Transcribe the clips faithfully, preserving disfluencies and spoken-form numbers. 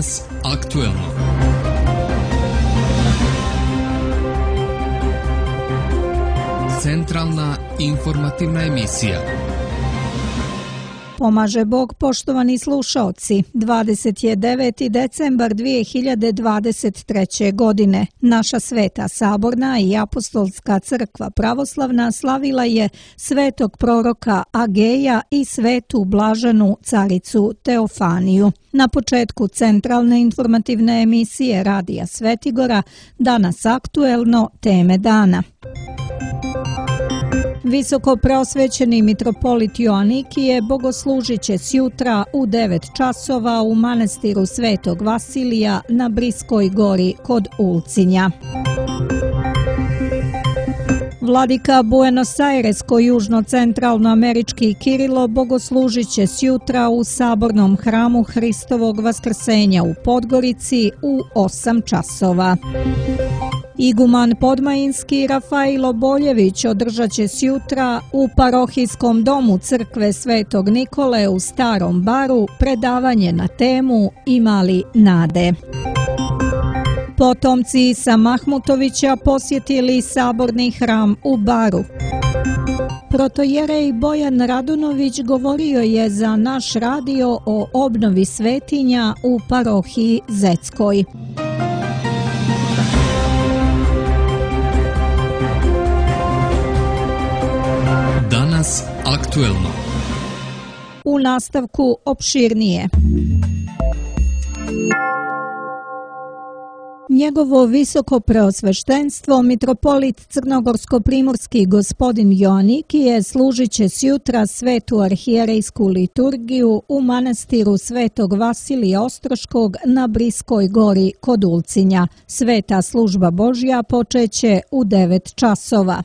Danas aktuelno. Centralna informativna emisija. Pomaže Bog, poštovani slušaoci. dvadeset deveti decembar dvije hiljade dvadeset treće. godine. Naša Sveta Saborna i Apostolska crkva pravoslavna slavila je svetog proroka Ageja i svetu blaženu caricu Teofaniju. Na početku centralne informativne emisije Radija Svetigora, danas aktuelno, teme dana. Visoko preosvećeni mitropolit Joanikije bogoslužit će sjutra u devet časova u manastiru Svetog Vasilija na Briskoj gori kod Ulcinja. Vladika Buenos Airesko-južno-centralnoamerički Kirilo bogoslužit će sjutra u sabornom hramu Hristovog vaskrsenja u Podgorici u osam časova. Iguman Podmajinski Rafailo Boljević održat će sjutra u parohijskom domu crkve Svetog Nikole u Starom Baru predavanje na temu Ima li nade? Potomci Isa Mahmutovića posjetili saborni hram u Baru. Protojerej Bojan Radunović govorio je za naš radio o obnovi svetinja u parohiji Zeckoj. Danas aktuelno. U nastavku opširnije. Njegovo visoko preosveštenstvo, mitropolit crnogorsko-primorski gospodin Joanikije služit će sjutra svetu arhijerejsku liturgiju u manastiru Svetog Vasilija Ostroškog na Briskoj gori kod Ulcinja. Sveta služba Božja počeće u devet časova.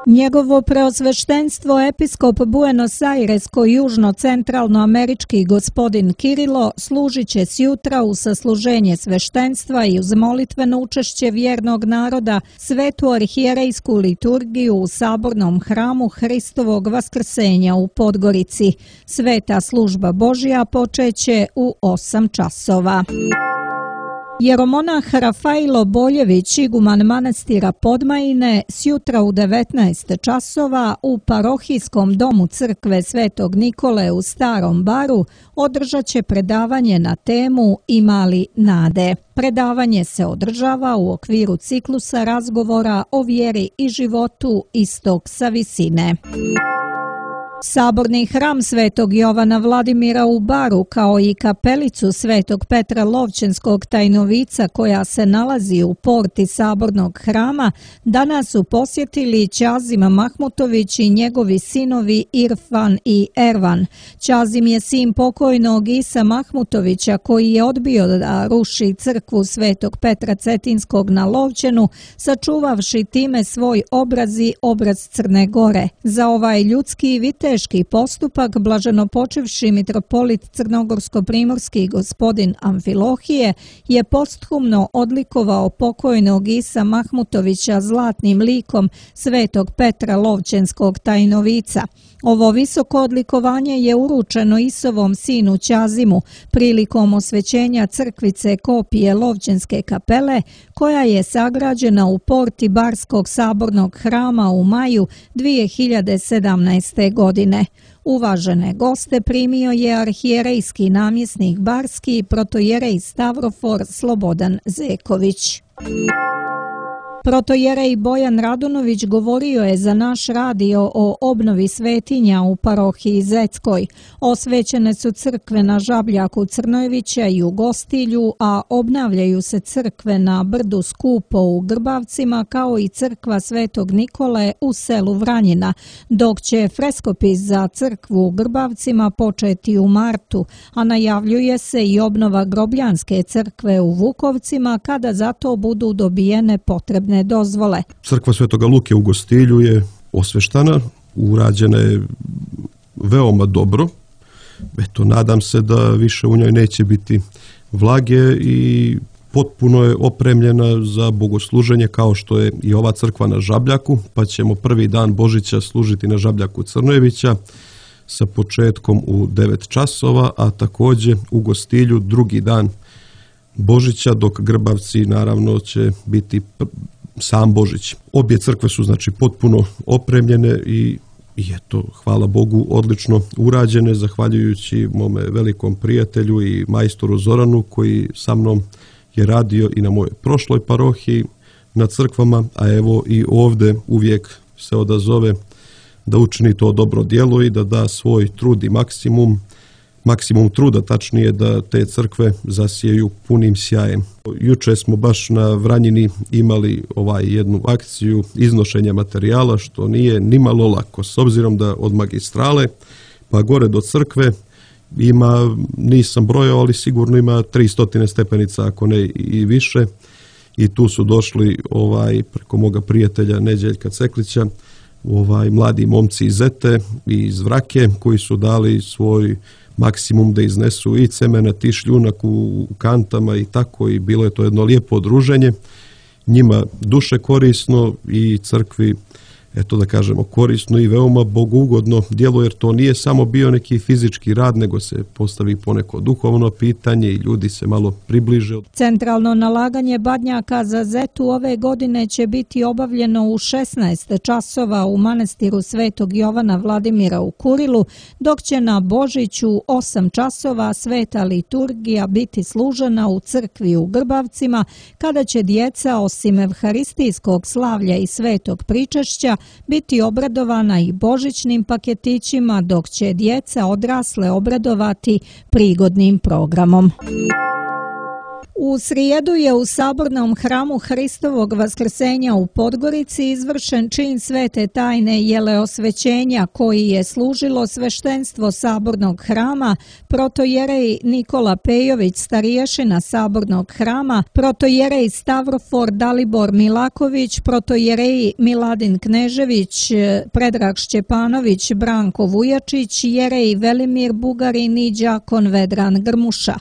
Njegovo preosveštenstvo episkop Buenos Airesko-južno-centralnoamerički gospodin Kirilo služit će sjutra u sasluženje sveštenstva i uz molitveno učešće vjernog naroda svetu arhijerejsku liturgiju u sabornom hramu Hristovog vaskrsenja u Podgorici. Sveta služba Božja počeće u osam časova. Jeromonah Rafailo Boljević, iguman manastira Podmajine, sjutra u devetnaest časova u parohijskom domu crkve Svetog Nikole u Starom Baru održat će predavanje na temu Ima li nade? Predavanje se održava u okviru ciklusa razgovora o vjeri i životu Istok sa visine. Saborni hram Svetog Jovana Vladimira u Baru, kao i kapelicu Svetog Petra Lovćenskog Tajnovica koja se nalazi u porti sabornog hrama, danas su posjetili Ćazim Mahmutović i njegovi sinovi Irfan i Ervan. Ćazim je sin pokojnog Isa Mahmutovića koji je odbio da ruši crkvu Svetog Petra Cetinskog na Lovćenu, sačuvavši time svoj obraz i obraz Crne Gore. Za ovaj ljudski vite teški postupak blaženopočivši mitropolit crnogorsko-primorski gospodin Amfilohije je posthumno odlikovao pokojnog Isa Mahmutovića zlatnim likom Svetog Petra Lovćenskog Tajnovica. Ovo visoko odlikovanje je uručeno Isovom sinu Ćazimu prilikom osvećenja crkvice kopije Lovćenske kapele koja je sagrađena u porti Barskog sabornog hrama u maju dvije hiljade sedamnaeste. godine. Uvažene goste primio je arhijerejski namjesnik Barski protojerej Stavrofor Slobodan Zeković. Protojerej Bojan Radunović govorio je za naš radio o obnovi svetinja u parohiji Zeckoj. Osvećene su crkve na Žabljaku Crnojevića i u Gostilju, a obnavljaju se crkve na Brdu Skupo u Grbavcima kao i crkva Svetog Nikole u selu Vranjina, dok će freskopis za crkvu u Grbavcima početi u martu, a najavljuje se i obnova Grobljanske crkve u Vukovcima kada za to budu dobijene potrebne dozvole. Crkva Svetoga Luke u Gostilju je osveštana, urađena je veoma dobro. Eto, nadam se da više u njoj neće biti vlage i potpuno je opremljena za bogosluženje kao što je i ova crkva na Žabljaku, pa ćemo prvi dan Božića služiti na Žabljaku Crnojevića. sa početkom u devet časova, a također u Gostilju drugi dan Božića, dok Grbavci naravno će biti sam Božić. Obje crkve su znači potpuno opremljene i I eto, hvala Bogu, odlično urađene, zahvaljujući mome velikom prijatelju i majstoru Zoranu, koji sa mnom je radio i na mojoj prošloj parohiji na crkvama, a evo i ovdje uvijek se odazove da učini to dobro djelo i da da svoj trud i maksimum, maksimum truda, tačnije da te crkve zasijaju punim sjajem. Juče smo baš na Vranjini imali ovaj jednu akciju iznošenja materijala, što nije nimalo lako, s obzirom da od magistrale pa gore do crkve ima, nisam brojao, ali sigurno ima tristo stepenica, ako ne i više, i tu su došli ovaj preko moga prijatelja Neđeljka Ceklića ovaj mladi momci iz Zete i iz Vrake, koji su dali svoj maksimum da iznesu i cemenat i šljunak u kantama i tako, i bilo je to jedno lijepo druženje, njima duše korisno i crkvi, eto da kažemo, korisno i veoma bogugodno djelo, jer to nije samo bio neki fizički rad, nego se postavi poneko duhovno pitanje i ljudi se malo približe. Centralno nalaganje badnjaka za Zetu ove godine će biti obavljeno u šesnaest časova u manastiru Svetog Jovana Vladimira u Kurilu, dok će na Božiću osam časova sveta liturgija biti služena u crkvi u Grbavcima, kada će djeca osim evharistijskog slavlja i svetog pričešća biti obradovana i božićnim paketićima, dok će djeca odrasle obradovati prigodnim programom. U srijedu je u Sabornom hramu Hristovog vaskrsenja u Podgorici izvršen čin svete tajne jeleosvećenja, koji je služilo sveštenstvo Sabornog hrama, protojerej Nikola Pejović, stariješina Sabornog hrama, protojerej Stavrofor Dalibor Milaković, protojerej Miladin Knežević, Predrag Šćepanović, Branko Vujačić, jerej Velimir Bugarin i đakon Vedran Grmuša.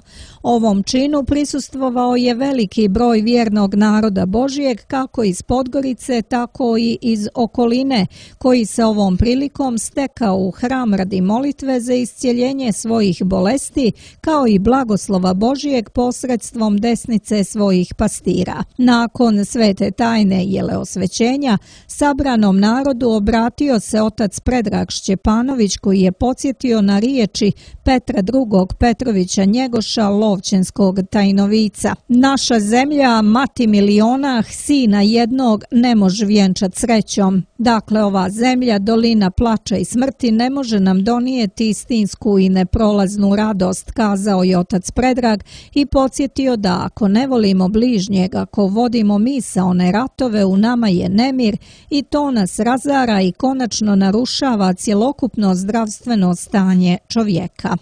Ovom činu prisustvovao je veliki broj vjernog naroda Božijeg, kako iz Podgorice, tako i iz okoline, koji se ovom prilikom stekao u hram radi molitve za iscjeljenje svojih bolesti, kao i blagoslova Božijeg posredstvom desnice svojih pastira. Nakon svete tajne jeleosvećenja, sabranom narodu obratio se otac Predrag Šćepanović, koji je podsjetio na riječi Petra drugog Petrovića Njegoša, Lovćenskog tajnovica. Naša zemlja, mati miliona, sina jednog, ne može vjenčat srećom. Dakle, ova zemlja, dolina plača i smrti, ne može nam donijeti istinsku i neprolaznu radost, kazao je otac Predrag i podsjetio da ako ne volimo bližnjeg, ako vodimo misaone ratove, u nama je nemir i to nas razara i konačno narušava cjelokupno zdravstveno stanje čovjeka.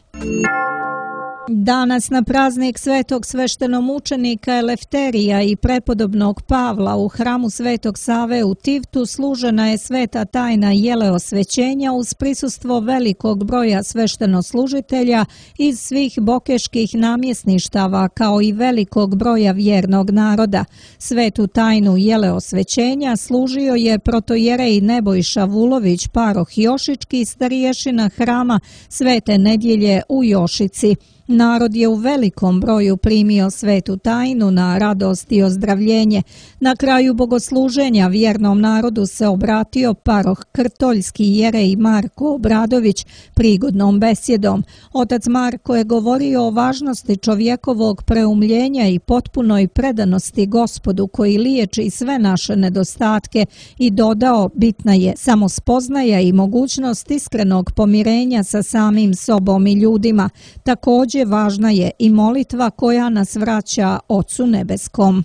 Danas na praznik svetog sveštenomučenika Elefterija i prepodobnog Pavla u hramu Svetog Save u Tivtu služena je sveta tajna jeleosvećenja uz prisustvo velikog broja sveštenoslužitelja iz svih bokeških namjesništava, kao i velikog broja vjernog naroda. Svetu tajnu jeleosvećenja služio je protojerej Nebojša Vulović, paroh Jošički, stariješina hrama Svete Nedjelje u Jošici. Narod je u velikom broju primio svetu tajnu na radost i ozdravljenje. Na kraju bogosluženja vjernom narodu se obratio paroh Krtoljski jerej Marko Obradović prigodnom besjedom. Otac Marko je govorio o važnosti čovjekovog preumljenja i potpunoj predanosti Gospodu koji liječi sve naše nedostatke i dodao, bitna je samo spoznaja i mogućnost iskrenog pomirenja sa samim sobom i ljudima. Također važna je i molitva koja nas vraća Ocu nebeskom.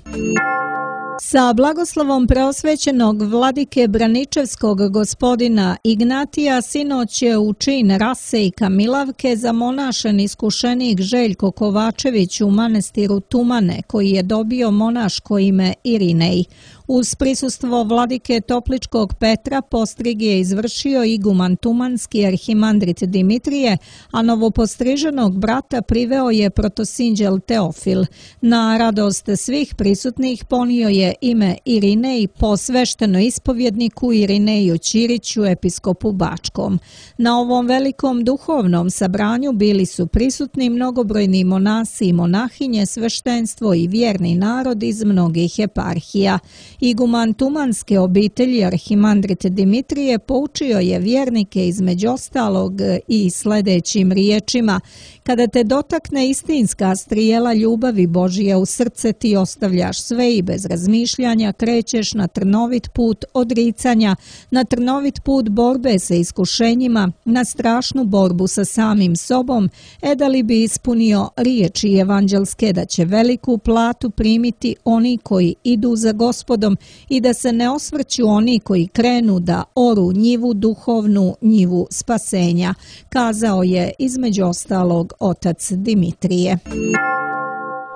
Sa blagoslovom preosvećenog vladike Braničevskog gospodina Ignatija sinoć je u čin rase i kamilavke zamonašen iskušenik Željko Kovačević u manastiru Tumane, koji je dobio monaško ime Irinej. Uz prisustvo vladike Topličkog Petra postrig je izvršio iguman tumanski arhimandrit Dimitrije, a novopostriženog brata priveo je protosinđel Teofil. Na radost svih prisutnih ponio je ime Irinej po svešteno ispovjedniku Irineju Ćiriću, episkopu Bačkom. Na ovom velikom duhovnom sabranju bili su prisutni mnogobrojni monasi i monahinje, sveštenstvo i vjerni narod iz mnogih eparhija. Iguman tumanske obitelji arhimandrit Dimitrije poučio je vjernike između ostalog i sljedećim riječima: kada te dotakne istinska strijela ljubavi Božije u srce, ti ostavljaš sve i bez razmišljanja krećeš na trnovit put odricanja, na trnovit put borbe sa iskušenjima, na strašnu borbu sa samim sobom, e da li bi ispunio riječi evanđelske da će veliku platu primiti oni koji idu za Gospodom i da se ne osvrću oni koji krenu da oru njivu duhovnu, njivu spasenja, kazao je između ostalog otac Dimitrije.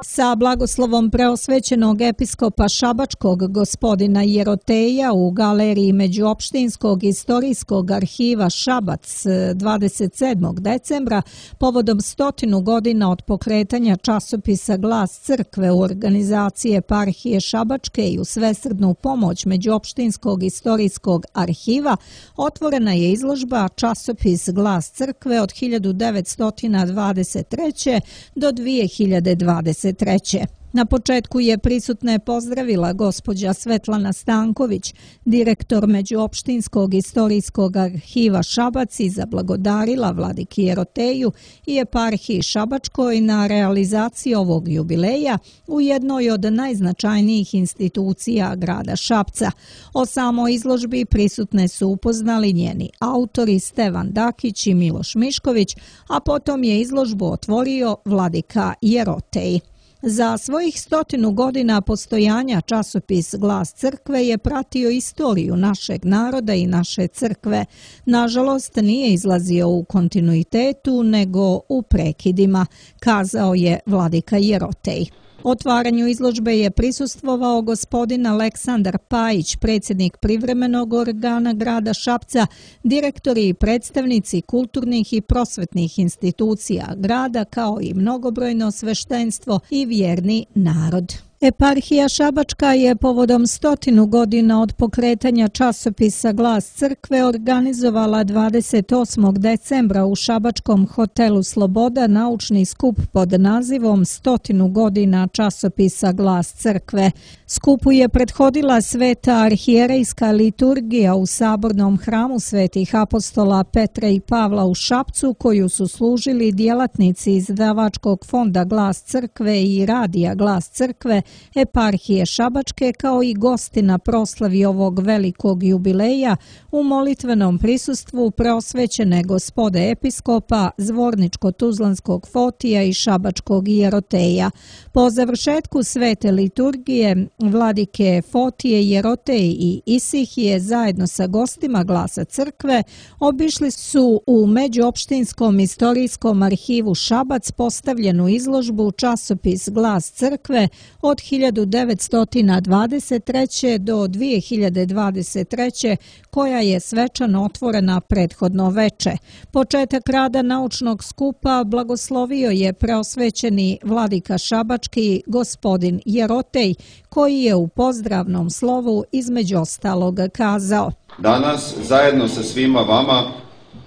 Sa blagoslovom preosvećenog episkopa Šabačkog gospodina Jeroteja u galeriji Međuopštinskog istorijskog arhiva Šabac dvadeset sedmog decembra povodom stotinu godina od pokretanja časopisa Glas crkve u organizaciji eparhije Šabačke i u svesrdnu pomoć Međuopštinskog istorijskog arhiva otvorena je izložba Časopis Glas crkve od hiljadu devetsto dvadeset treće. do dvije hiljade dvadeset treće. Na početku je prisutne pozdravila gospođa Svetlana Stanković, direktor Međuopštinskog istorijskog arhiva Šabac, i zablagodarila vladiki Jeroteju i eparhiji Šabačkoj na realizaciji ovog jubileja u jednoj od najznačajnijih institucija grada Šapca. O samoj izložbi prisutne su upoznali njeni autori Stevan Dakić i Miloš Mišković, a potom je izložbu otvorio vladika Jerotej. Za svojih stotinu godina postojanja časopis Glas crkve je pratio istoriju našeg naroda i naše crkve. Nažalost, nije izlazio u kontinuitetu, nego u prekidima, kazao je vladika Jerotej. Otvaranju izložbe je prisustvovao gospodin Aleksandar Pajić, predsjednik privremenog organa grada Šapca, direktori i predstavnici kulturnih i prosvetnih institucija grada, kao i mnogobrojno sveštenstvo i vjerni narod. Eparhija Šabačka je povodom stotinu godina od pokretanja časopisa Glas crkve organizovala dvadeset osmog decembra u šabačkom hotelu Sloboda naučni skup pod nazivom Stotinu godina časopisa Glas crkve. Skupu je prethodila sveta arhijerejska liturgija u sabornom hramu svetih apostola Petra i Pavla u Šapcu, koju su služili djelatnici izdavačkog fonda Glas crkve i radija Glas crkve, eparhije Šabačke, kao i gosti na proslavi ovog velikog jubileja u molitvenom prisustvu preosvećene gospode episkopa Zvorničko-Tuzlanskog Fotija i Šabačkog Jeroteja. Po završetku svete liturgije vladike Fotije, Jerotej i Isihije zajedno sa gostima Glasa crkve obišli su u Međuopštinskom istorijskom arhivu Šabac postavljenu izložbu časopis Glas crkve od hiljadu devetsto dvadeset treće. do dvije hiljade dvadeset treće. koja je svečano otvorena prethodno veče. Početak rada naučnog skupa blagoslovio je preosvećeni vladika Šabački gospodin Jerotej, koji je u pozdravnom slovu između ostalog kazao: Danas zajedno sa svima vama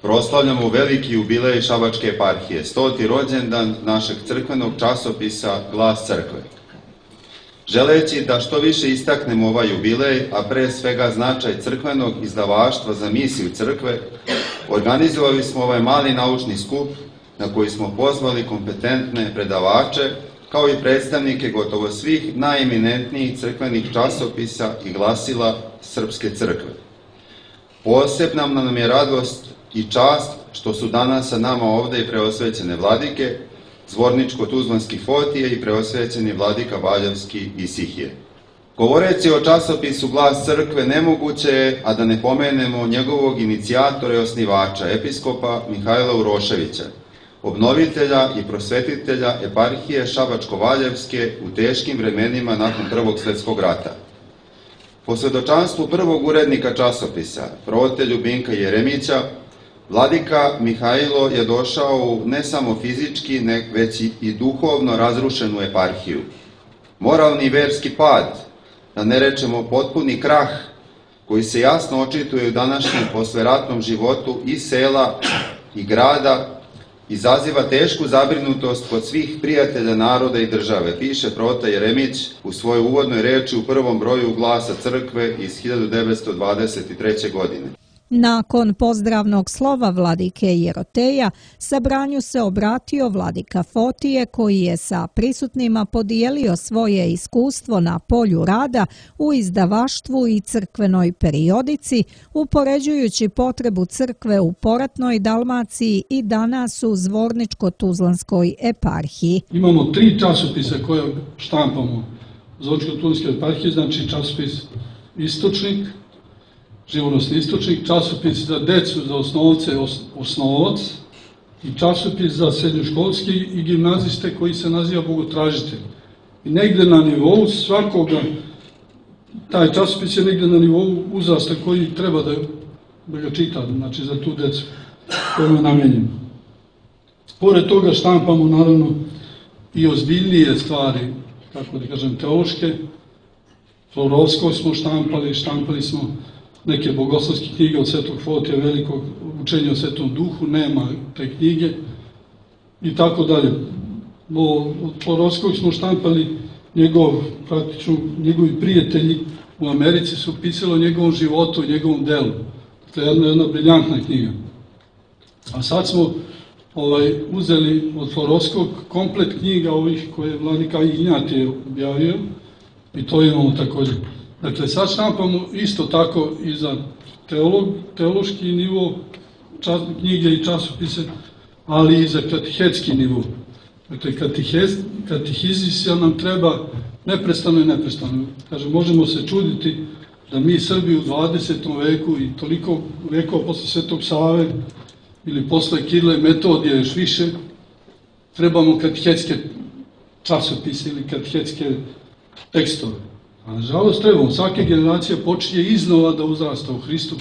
proslavljamo veliki jubilej Šabačke eparhije, stoti rođendan našeg crkvenog časopisa Glas crkve. Želeći da što više istaknemo ovaj jubilej, a pre svega značaj crkvenog izdavaštva za misiju crkve, organizovali smo ovaj mali naučni skup na koji smo pozvali kompetentne predavače, kao i predstavnike gotovo svih najeminentnijih crkvenih časopisa i glasila Srpske crkve. Posebna nam je radost i čast što su danas sa nama ovde i preosvećene vladike, Zvorničko-Tuzlanski Fotije i preosvećeni vladika Valjevski Isihije. Govoreći o časopisu Glas crkve, nemoguće je, a da ne pomenemo njegovog inicijatora i osnivača, episkopa Mihajla Uroševića, obnovitelja i prosvetitelja eparhije Šabačko-Valjevske u teškim vremenima nakon Prvog svjetskog rata. Po svedočanstvu prvog urednika časopisa, prote Ljubinka Jeremića, vladika Mihajlo je došao u ne samo fizički, već i duhovno razrušenu eparhiju. Moralni i verski pad, da ne rečemo potpuni krah, koji se jasno očituje u današnjem posleratnom životu i sela i grada, izaziva tešku zabrinutost kod svih prijatelja naroda i države, piše prota Jeremić u svojoj uvodnoj reči u prvom broju Glasa crkve iz hiljadu devetsto dvadeset treće. godine. Nakon pozdravnog slova vladike Jeroteja, sabranju se obratio vladika Fotije koji je sa prisutnima podijelio svoje iskustvo na polju rada u izdavaštvu i crkvenoj periodici, upoređujući potrebu crkve u poratnoj Dalmaciji i danas u Zvorničko-Tuzlanskoj eparhiji. Imamo tri časopisa koje štampamo u Zvorničko-Tuzlanskoj eparhiji, znači časopis Istočnik, Živonosni istočnik, časopis za decu, za osnovce, osnovac i časopis za srednjoškolski i gimnaziste koji se naziva Bogotražitelj. I negde na nivou svakoga, taj časopis je negde na nivou uzrasta koji treba da, da ga čita, znači za tu decu koja je namenjena. Pored toga štampamo naravno i ozbiljnije stvari, kako da kažem, teološke. Florovskog smo štampali, štampali smo neke bogoslovske knjige od Svetog Fotija, velikog učenja o Svetom Duhu, nema te knjige i tako dalje. Od Florovskog smo štampali njegov, praktično, njegovi prijatelji u Americi su pisali o njegovom životu, o njegovom delu. To je jedna, jedna briljantna knjiga. A sad smo ovaj, uzeli od Florovskog komplet knjiga ovih koje je vladika Ignjatije objavio i to imamo također. Dakle, sad štampamo isto tako i za teolog, teološki nivo čas, knjige i časopise, ali i za katehetski nivo. Dakle, katehez, katehizisija nam treba neprestano i neprestano. Kaže, možemo se čuditi da mi Srbi u dvadesetom veku i toliko vekova posle Svetog Save ili posle Kirila i Metodija još više, trebamo katehetske časopise ili katehetske tekstove. A nažalost trebamo, svake generacije počinje iznova da uzrasta u Hristu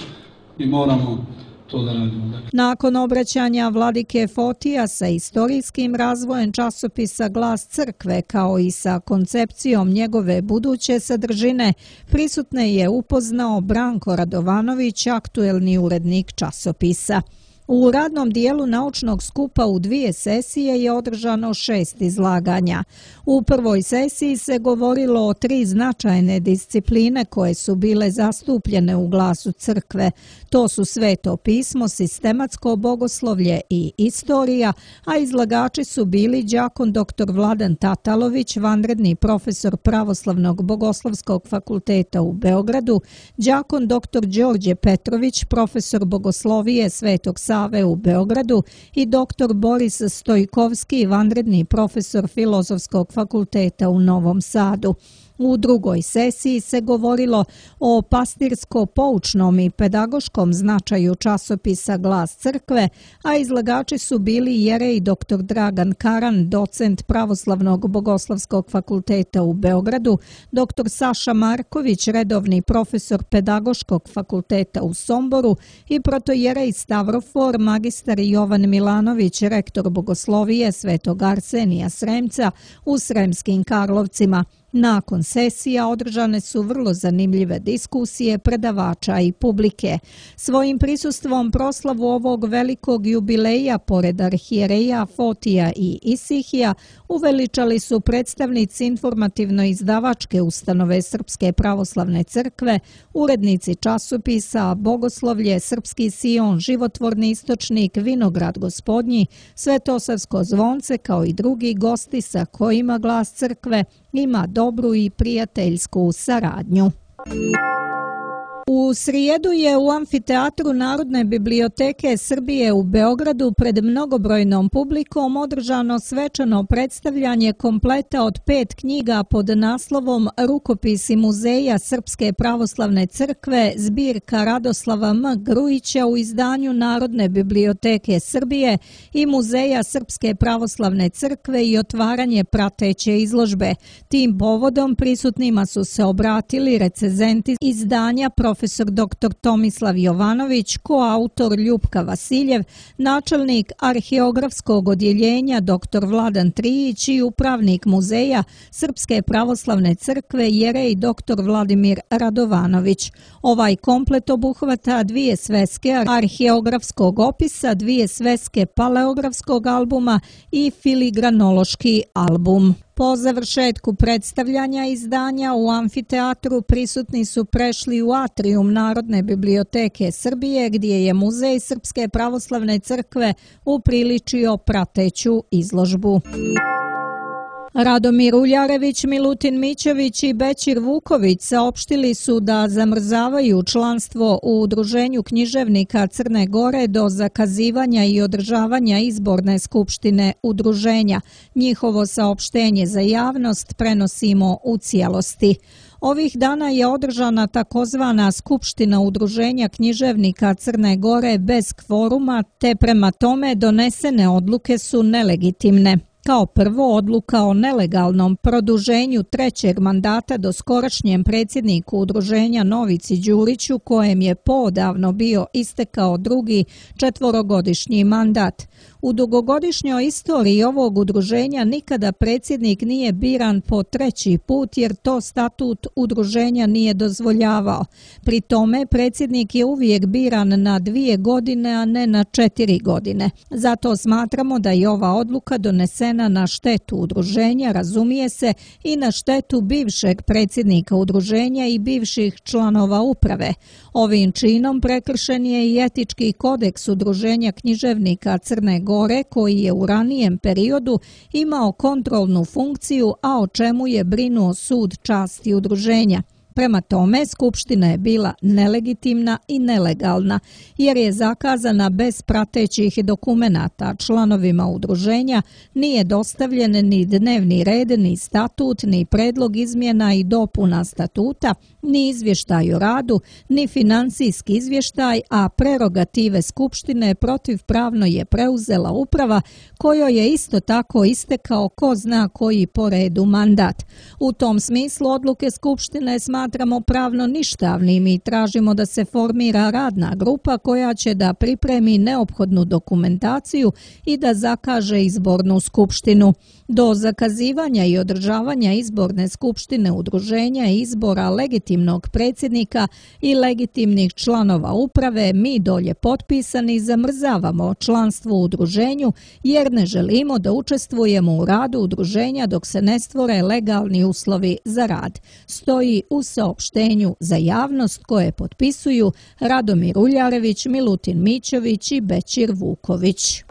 i moramo to da radimo. Nakon obraćanja vladike Fotija sa istorijskim razvojem časopisa Glas crkve kao i sa koncepcijom njegove buduće sadržine, prisutne je upoznao Branko Radovanović, aktuelni urednik časopisa. U radnom dijelu naučnog skupa u dvije sesije je održano šest izlaganja. U prvoj sesiji se govorilo o tri značajne discipline koje su bile zastupljene u Glasu crkve. To su Sveto pismo, sistematsko bogoslovlje i istorija, a izlagači su bili đakon doktor Vladan Tatalović, vanredni profesor Pravoslavnog bogoslovskog fakulteta u Beogradu, đakon doktor Đorđe Petrović, profesor bogoslovije Svetog Save u Beogradu i doktor Boris Stojkovski, vanredni profesor Filozofskog fakulteta u Novom Sadu. U drugoj sesiji se govorilo o pastirsko-poučnom i pedagoškom značaju časopisa Glas crkve, a izlagači su bili jerej doktor Dragan Karan, docent Pravoslavnog bogoslovskog fakulteta u Beogradu, doktor Saša Marković, redovni profesor Pedagoškog fakulteta u Somboru i protojerej Stavrofor, magistar Jovan Milanović, rektor bogoslovije Svetog Arsenija Sremca u Sremskim Karlovcima. Nakon sesija održane su vrlo zanimljive diskusije predavača i publike. Svojim prisustvom proslavu ovog velikog jubileja, pored arhijereja Fotija i Isihija, uveličali su predstavnici informativno-izdavačke ustanove Srpske pravoslavne crkve, urednici časopisa Bogoslovlje, Srpski Sion, Životvorni istočnik, Vinograd Gospodnji, Svetosavsko zvonce kao i drugi gosti sa kojima Glas crkve ima dobru i prijateljsku saradnju. U srijedu je u amfiteatru Narodne biblioteke Srbije u Beogradu pred mnogobrojnom publikom održano svečano predstavljanje kompleta od pet knjiga pod naslovom Rukopisi Muzeja Srpske pravoslavne crkve, zbirka Radoslava M. Grujića u izdanju Narodne biblioteke Srbije i Muzeja Srpske pravoslavne crkve i otvaranje prateće izložbe. Tim povodom prisutnima su se obratili recenzenti izdanja profesor doktor Tomislav Jovanović, koautor Ljupka Vasiljev, načelnik arheografskog odjeljenja doktor Vladan Trijić i upravnik muzeja Srpske pravoslavne crkve jerej doktor Vladimir Radovanović. Ovaj komplet obuhvata dvije sveske arheografskog opisa, dvije sveske paleografskog albuma i filigranološki album. Po završetku predstavljanja izdanja u amfiteatru prisutni su prešli u atrijum Narodne biblioteke Srbije gdje je Muzej Srpske pravoslavne crkve upriličio prateću izložbu. Radomir Uljarević, Milutin Mićević i Bećir Vuković saopštili su da zamrzavaju članstvo u Udruženju književnika Crne Gore do zakazivanja i održavanja izborne skupštine udruženja. Njihovo saopštenje za javnost prenosimo u cijelosti. Ovih dana je održana takozvana Skupština Udruženja književnika Crne Gore bez kvoruma, te prema tome donesene odluke su nelegitimne. Kao prvo, odluka o nelegalnom produženju trećeg mandata doskorašnjem predsjedniku udruženja Novici Đuriću, kojem je poodavno bio istekao drugi četvorogodišnji mandat. U dugogodišnjoj istoriji ovog udruženja nikada predsjednik nije biran po treći put jer to statut udruženja nije dozvoljavao. Pri tome predsjednik je uvijek biran na dvije godine, a ne na četiri godine. Zato smatramo da je ova odluka donesena na štetu udruženja, razumije se, i na štetu bivšeg predsjednika udruženja i bivših članova uprave. Ovim činom prekršen je i etički kodeks Udruženja književnika Crne Gore koji je u ranijem periodu imao kontrolnu funkciju, a o čemu je brinuo sud časti udruženja. Prema tome, skupština je bila nelegitimna i nelegalna, jer je zakazana bez pratećih dokumenata. Članovima udruženja nije dostavljen ni dnevni red, ni statut, ni predlog izmjena i dopuna statuta, ni izvještaj o radu, ni financijski izvještaj, a prerogative skupštine protivpravno je preuzela uprava kojoj je isto tako istekao ko zna koji po redu mandat. U tom smislu odluke skupštine smatramo pravno ništavnim i tražimo da se formira radna grupa koja će da pripremi neophodnu dokumentaciju i da zakaže izbornu skupštinu. Do zakazivanja i održavanja izborne skupštine udruženja i izbora legitimnog predsjednika i legitimnih članova uprave mi dolje potpisani zamrzavamo članstvo u udruženju jer ne želimo da učestvujemo u radu udruženja dok se ne stvore legalni uslovi za rad. Stoji u saopštenju za javnost koje potpisuju Radomir Uljarević, Milutin Mićević i Bećir Vuković.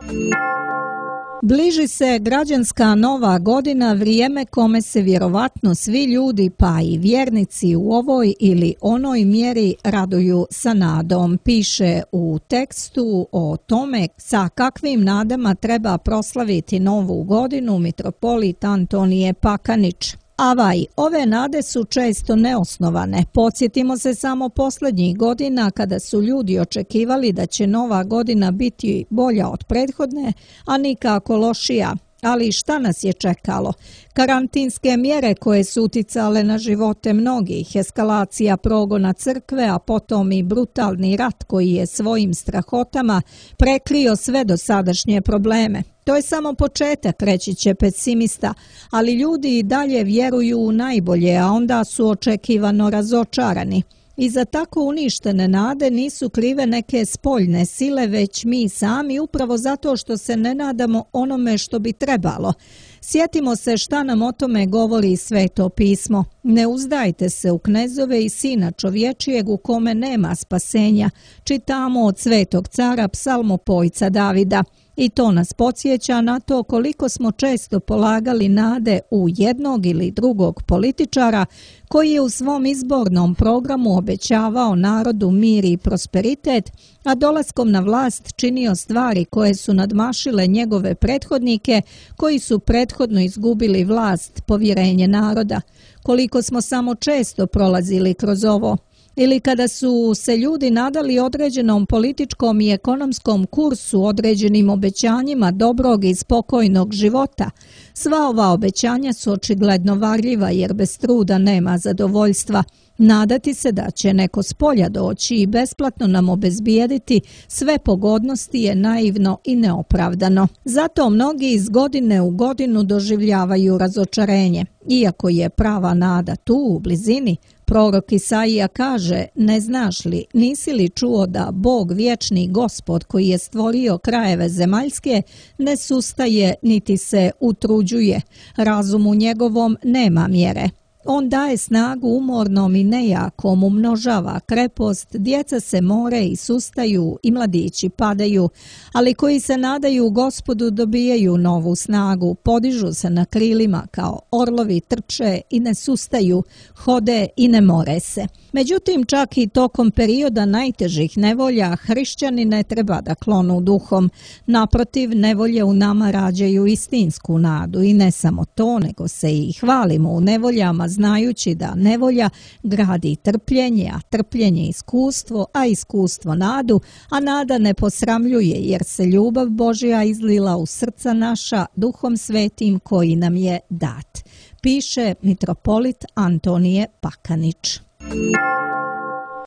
Bliži se građanska nova godina, vrijeme kome se vjerovatno svi ljudi pa i vjernici u ovoj ili onoj mjeri raduju sa nadom. Piše u tekstu o tome sa kakvim nadama treba proslaviti novu godinu mitropolit Antonije Pakanić. Avaj, ove nade su često neosnovane. Podsjetimo se samo posljednjih godina kada su ljudi očekivali da će nova godina biti bolja od prethodne, a nikako lošija. Ali šta nas je čekalo? Karantinske mjere koje su uticale na živote mnogih, eskalacija progona crkve, a potom i brutalni rat koji je svojim strahotama prekrio sve dosadašnje probleme. To je samo početak, reći će pesimista, ali ljudi i dalje vjeruju u najbolje, a onda su očekivano razočarani. I za tako uništene nade nisu krive neke spoljne sile, već mi sami, upravo zato što se ne nadamo onome što bi trebalo. Sjetimo se šta nam o tome govori Sveto pismo. Ne uzdajte se u knezove i sina čovječijeg u kome nema spasenja. Čitamo od svetog cara psalmopojca Davida. I to nas podsjeća na to koliko smo često polagali nade u jednog ili drugog političara koji je u svom izbornom programu obećavao narodu mir i prosperitet, a dolaskom na vlast činio stvari koje su nadmašile njegove prethodnike koji su prethodno izgubili vlast, povjerenje naroda. Koliko smo samo često prolazili kroz ovo. Ili kada su se ljudi nadali određenom političkom i ekonomskom kursu, određenim obećanjima dobrog i spokojnog života. Sva ova obećanja su očigledno varljiva jer bez truda nema zadovoljstva. Nadati se da će neko s polja doći i besplatno nam obezbijediti sve pogodnosti je naivno i neopravdano. Zato mnogi iz godine u godinu doživljavaju razočarenje. Iako je prava nada tu u blizini, prorok Isaija kaže: ne znaš li, nisi li čuo da Bog vječni Gospod koji je stvorio krajeve zemaljske ne sustaje niti se utruđuje, razumu njegovom nema mjere. On daje snagu umornom i nejakom, umnožava krepost, djeca se more i sustaju i mladići padaju, ali koji se nadaju Gospodu dobijaju novu snagu, podižu se na krilima kao orlovi, trče i ne sustaju, hode i ne more se. Međutim, čak i tokom perioda najtežih nevolja, hrišćani ne treba da klonu duhom. Naprotiv, nevolje u nama rađaju istinsku nadu i ne samo to, nego se i hvalimo u nevoljama, znajući da nevolja gradi trpljenje, a trpljenje iskustvo, a iskustvo nadu, a nada ne posramljuje jer se ljubav Božja izlila u srca naša Duhom Svetim koji nam je dat. Piše mitropolit Antonije Pakanić.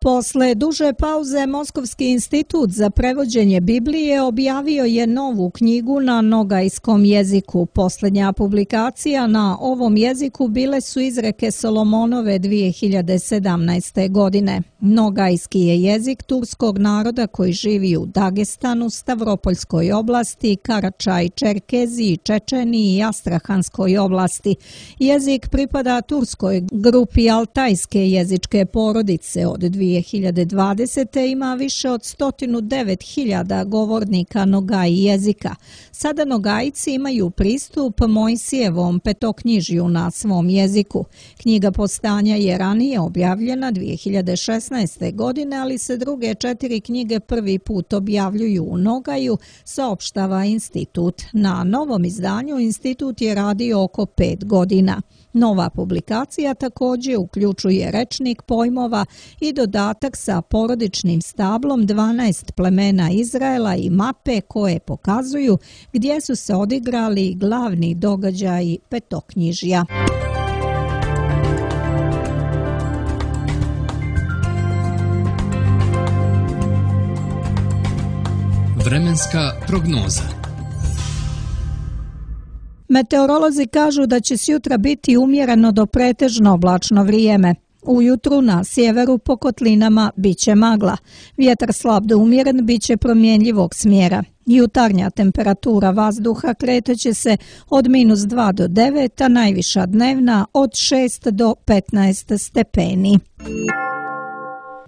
Posle duže pauze Moskovski institut za prevođenje Biblije objavio je novu knjigu na nogajskom jeziku. Posljednja publikacija na ovom jeziku bile su izreke Solomonove dvije hiljade sedamnaeste. godine. Nogajski je jezik turskog naroda koji živi u Dagestanu, Stavropoljskoj oblasti, Karačaj, Čerkeziji, Čečeniji i Astrahanskoj oblasti. Jezik pripada turskoj grupi altajske jezičke porodice. Od dvije hiljade dvadesete. ima više od sto devet hiljada govornika Nogai jezika. Sada Nogajci imaju pristup Mojsijevom petoknjižju na svom jeziku. Knjiga Postanja je ranije objavljena dvije hiljade šesnaeste. godine, ali se druge četiri knjige prvi put objavljuju u Nogaju, saopštava institut. Na novom izdanju institut je radio oko pet godina. Nova publikacija također uključuje rečnik pojmova i dodatak sa porodičnim stablom dvanaest plemena Izraela i mape koje pokazuju gdje su se odigrali glavni događaji petoknjižja. Vremenska prognoza. Meteorolozi kažu da će sutra biti umjereno do pretežno oblačno vrijeme. Ujutru na sjeveru po kotlinama biće magla. Vjetar slab do umjeren biće promjenjivog smjera. Jutarnja temperatura vazduha kreteće se od minus dva do devet, a najviša dnevna od šest do petnaest stepeni.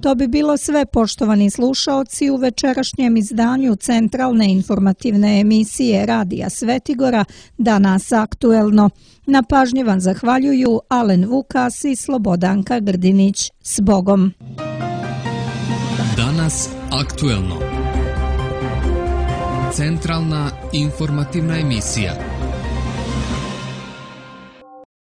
To bi bilo sve, poštovani slušaoci, u večerašnjem izdanju centralne informativne emisije Radija Svetigora Danas aktuelno. Na pažnji vam zahvaljuju Alen Vukas i Slobodanka Grdinić. S Bogom! Danas aktuelno. Centralna informativna emisija.